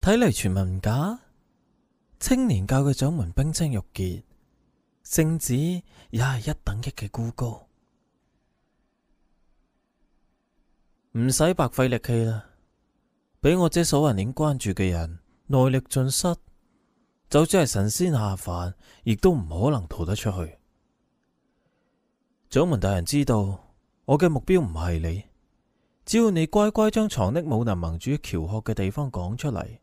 睇嚟傳聞唔假，青年教嘅掌門冰清玉潔，聖旨也係一等一嘅孤高，唔使白費力氣啦。俾我這所人鏈關注嘅人內力盡失，就算係神仙下凡，亦都唔可能逃得出去。掌門大人知道我嘅目標唔係你，只要你乖乖將藏匿武林盟主喬學嘅地方講出嚟，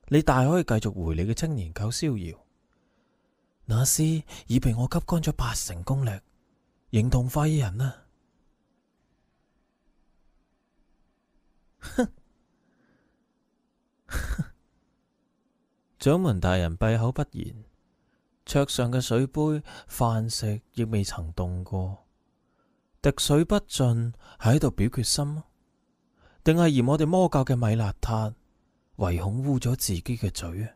你大可以繼續回你嘅青年教逍遙。那廝已被我吸乾咗80%功力，形同廢人啊！哼！掌門大人閉口不言，桌上嘅水杯、飯食亦未曾動過，滴水不進，喺度表決心，定係嫌我哋魔教嘅米邋遢，唯恐污咗自己嘅嘴啊？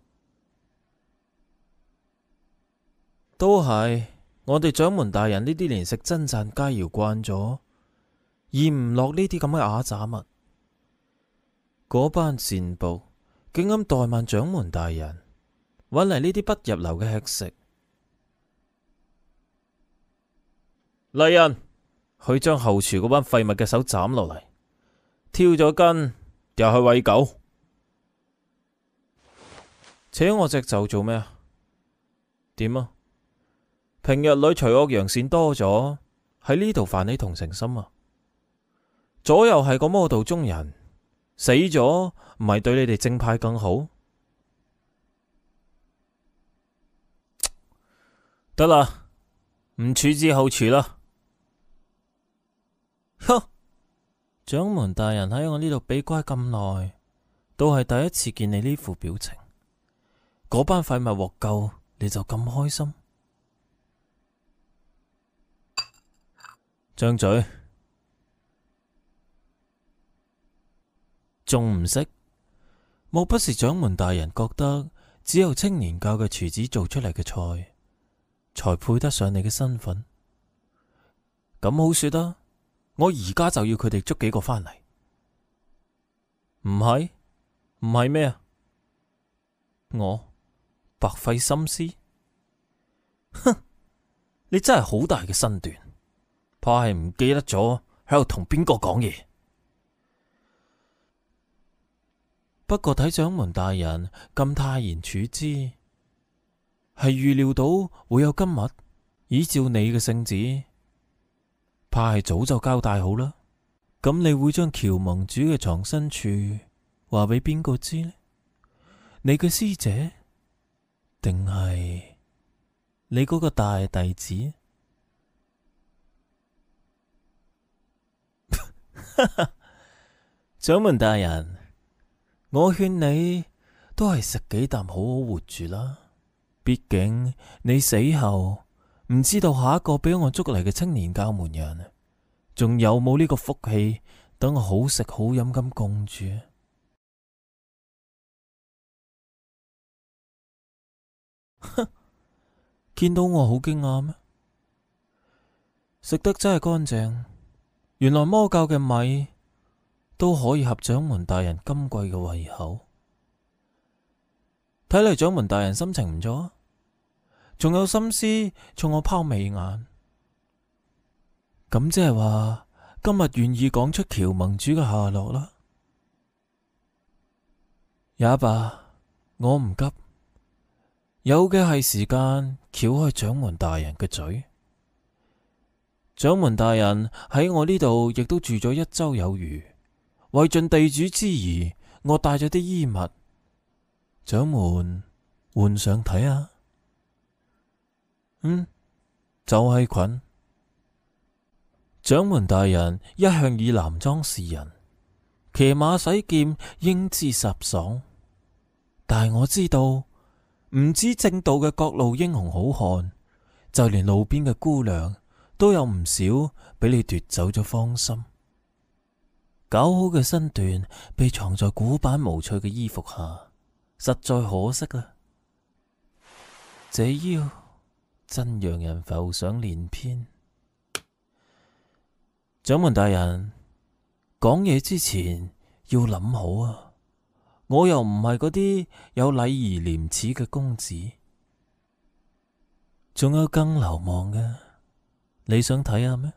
都係我哋掌門大人呢啲連食真讚佳肴慣咗，咽唔落呢啲咁嘅啞渣物。嗰班賤僕竟敢怠慢掌門大人，搵嚟呢啲不入流嘅吃食。嚟人，去將後廚嗰班廢物嘅手斬落嚟，挑咗筋又去餵狗。扯我隻袖做咩啊？點啊？平日裏除惡揚善多咗，喺呢度泛起同情心啊！左右係個魔道中人，死咗唔係對你哋正派更好？得啦，唔處置後廚啦。哼！掌門大人喺我呢度俾乖咁耐，都係第一次見你呢副表情。嗰班廢物獲救，你就咁開心？張嘴，仲唔識？莫不是掌門大人覺得只有青年教嘅廚子做出嚟嘅菜，才配得上你嘅身份？咁好說啦，我而家就要佢哋捉幾個返嚟。唔係？唔係咩啊？我白費心思？哼！你真係好大嘅身段，怕係唔記得咗喺度同邊個講嘢。不過睇掌門大人咁泰然處之，係預料到會有今日。依照你嘅聖旨，怕係早就交代好啦。咁你會將喬盟主嘅藏身處話俾邊個知呢？你嘅師姐，定係你嗰個大弟子？掌門大人，我勸你都係食幾啖好好活住啦。畢竟你死後唔知道下一個俾我捉嚟嘅青年教門人，仲有冇呢個福氣等我好食好飲咁供住？哼！見到我好驚訝咩？食得真係乾淨，原來魔教嘅米都可以合掌門大人今季嘅胃口。睇嚟掌門大人心情唔錯，仲有心思衝我拋媚眼。咁即係話今日願意講出喬盟主嘅下落啦。也罷，我唔急，有嘅係時間撬開掌門大人嘅嘴。掌門大人喺我呢度亦都住咗1周有餘，為盡地主之誼，我帶咗啲衣物，掌門換上睇下。就係裙。掌門大人一向以男裝示人，騎馬洗劍英姿颯爽，但係我知道唔止正道嘅各路英雄好漢，就連路邊嘅姑娘都有唔少俾你奪走咗芳心。搞好嘅身段被藏在古板無趣嘅衣服下，實在可惜啦。這腰真讓人浮想聯翩。掌門大人，講嘢之前要諗好啊！我又唔係嗰啲有禮儀廉恥嘅公子，仲有更流氓嘅，你想睇下咩？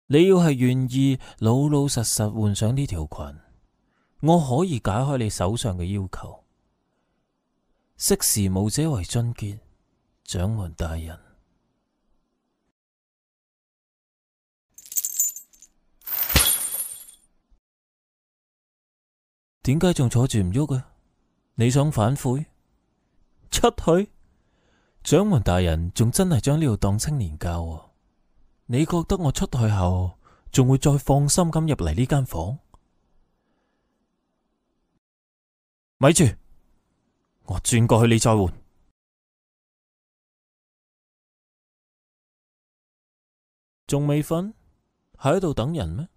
你要係願意老老實實換上呢條裙，我可以解開你手上嘅要求。識時務者為俊傑，掌門大人。點解仲坐住唔喐啊？你想反悔？出去？掌門大人仲真係將呢度當青年教啊？你覺得我出去後仲會再放心咁入嚟呢間房？咪住，我轉過去你再換。仲未瞓？喺度等人咩？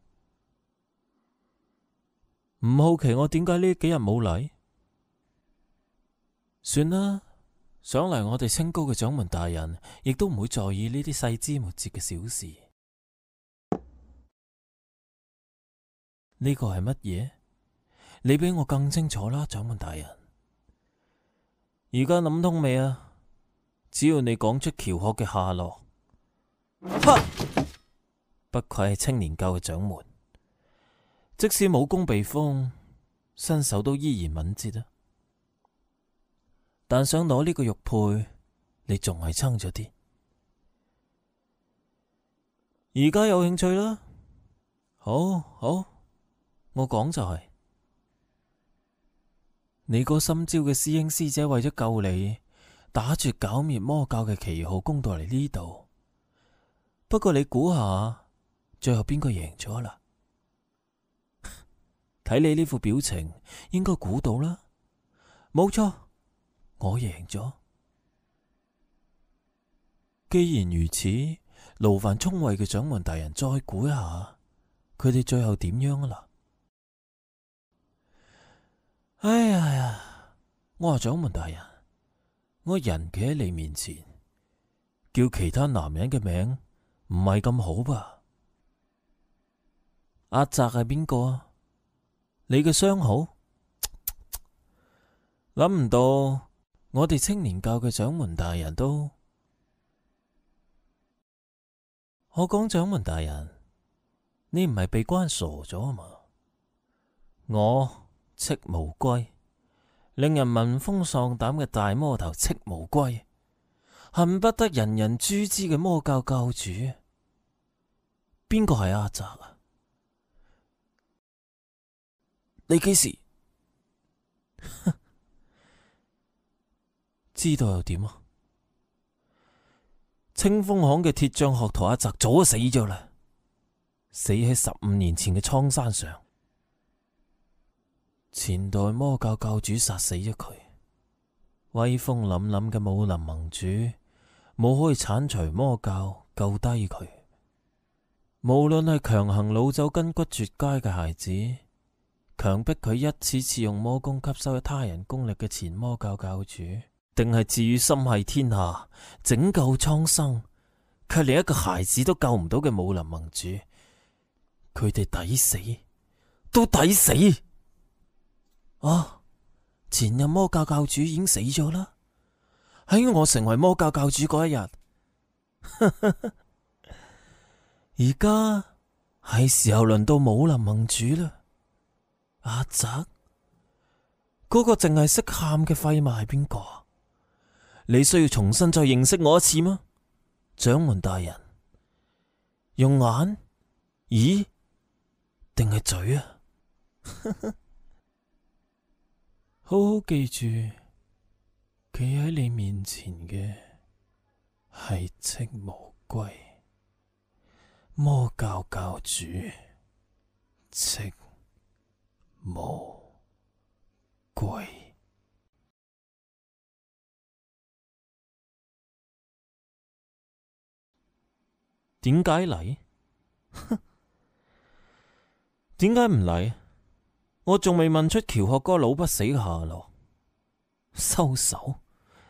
唔好奇我點解呢幾日冇嚟？算啦，想嚟我哋清高嘅掌門大人亦都唔會在意呢啲細枝末節嘅小事。呢個係乜嘢？你比我更清楚啦，掌門大人。而家諗通未啊？只要你講出喬學嘅下落，哈！不愧係青年教嘅掌門。即使武功被封，身手都依然敏捷啊！但想攞呢個玉佩，你仲係撐咗啲。而家有興趣啦？好，我講就係，你個心焦嘅師兄師姐為咗救你，打住剿滅魔教嘅旗號攻到嚟呢度。不過你估下，最後邊個贏咗啦？睇你呢副表情，應該估到啦。冇錯，我贏咗。既然如此，勞煩聰慧嘅掌門大人再估一下，佢哋最後點樣啊嗱？哎呀，我話掌門大人，我人企喺你面前，叫其他男人嘅名唔係咁好吧？阿澤係邊個啊？你嘅相好？諗唔到我哋青年教嘅掌門大人都……我講掌門大人，你唔係被關傻咗啊嘛？我戚無歸，令人聞風喪膽嘅大魔頭戚無歸，恨不得人人誅之嘅魔教教主，邊個係阿澤啊？你幾時知道又點啊？清風巷嘅鐵匠學徒阿澤早就死咗啦，死喺15年前嘅蒼山上。前代魔教教主殺死咗佢，威風凜凜嘅武林盟主冇可以鏟除魔教救低佢。無論係強行擄走筋骨絕佳嘅孩子，強迫佢一次次用魔功吸收他人功力嘅前魔教教主，定係置於心繫天下、拯救蒼生，卻連一個孩子都救唔到嘅武林盟主，佢哋抵死，都抵死！啊！前任魔教教主已經死咗啦，喺我成為魔教教主嗰一日，而家係時候輪到武林盟主啦。阿澤，嗰個淨係識喊嘅廢物係邊個？你需要重新再認識我一次嗎？掌門大人，用眼、耳定係嘴啊？好好記住，企喺你面前嘅係戚無歸，魔教教主戚無歸。點解嚟？點解唔嚟？我仲未問出喬學哥老不死嘅下落。收手，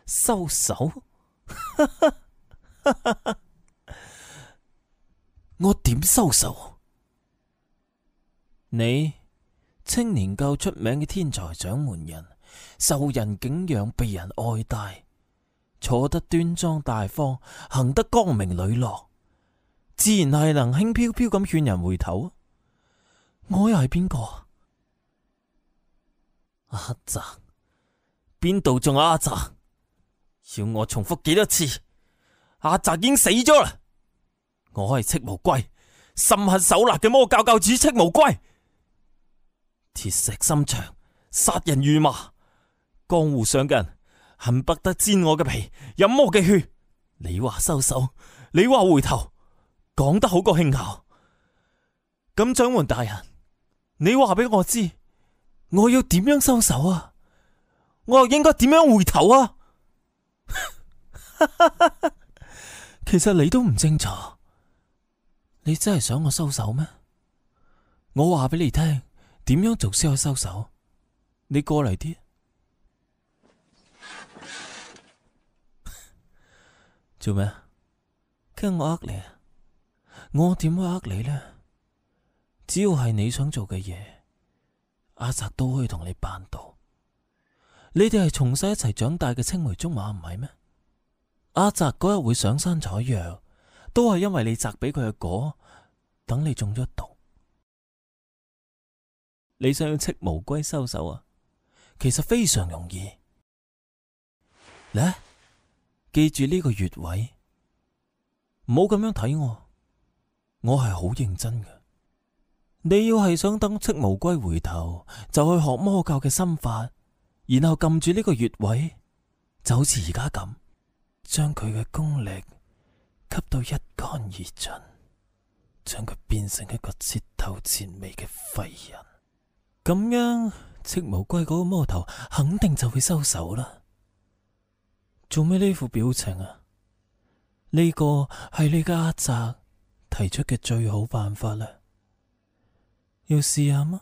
收手！我點收手？你青年夠出名嘅天才掌門人，受人敬仰，被人愛戴，坐得端莊大方，行得光明磊落，自然係能輕飄飄咁勸人回頭。我又係邊個？阿澤？邊度仲有阿澤？要我重複幾多次？阿澤已經死咗啦！我係赤無歸，心狠手辣嘅魔教教主赤無歸，鐵石心腸，殺人如麻。江湖上嘅人恨不得煎我嘅皮，飲我嘅血。你話收手，你話回頭，講得好過輕巧。咁掌門大人，你話俾我知，我要點樣收手啊？我又應該點樣回頭啊？其實你都唔清楚，你真係想我收手咩？我話俾你聽，點樣做先可以收手？你過嚟啲。做咩？驚我呃你啊？我點會呃你呢？只要係你想做嘅嘢，阿澤都可以同你辦到。你哋係從細一齊長大嘅青梅竹馬，唔係咩？阿澤嗰日會上山採藥，都係因為你摘俾佢嘅果，等你中咗毒。你想要赤無歸收手啊？其實非常容易。嚟，記住呢個穴位，唔好咁樣睇我，我係好認真嘅。你要係想等赤無歸回頭，就去學魔教嘅心法，然後撳住呢個穴位，就好似而家咁，將佢嘅功力吸到一乾二盡，將佢變成一個徹頭徹尾嘅廢人。咁樣赤無歸嗰個魔頭肯定就會收手啦。做咩呢副表情啊？呢個係你嘅阿澤提出嘅最好辦法啦，要試下嗎？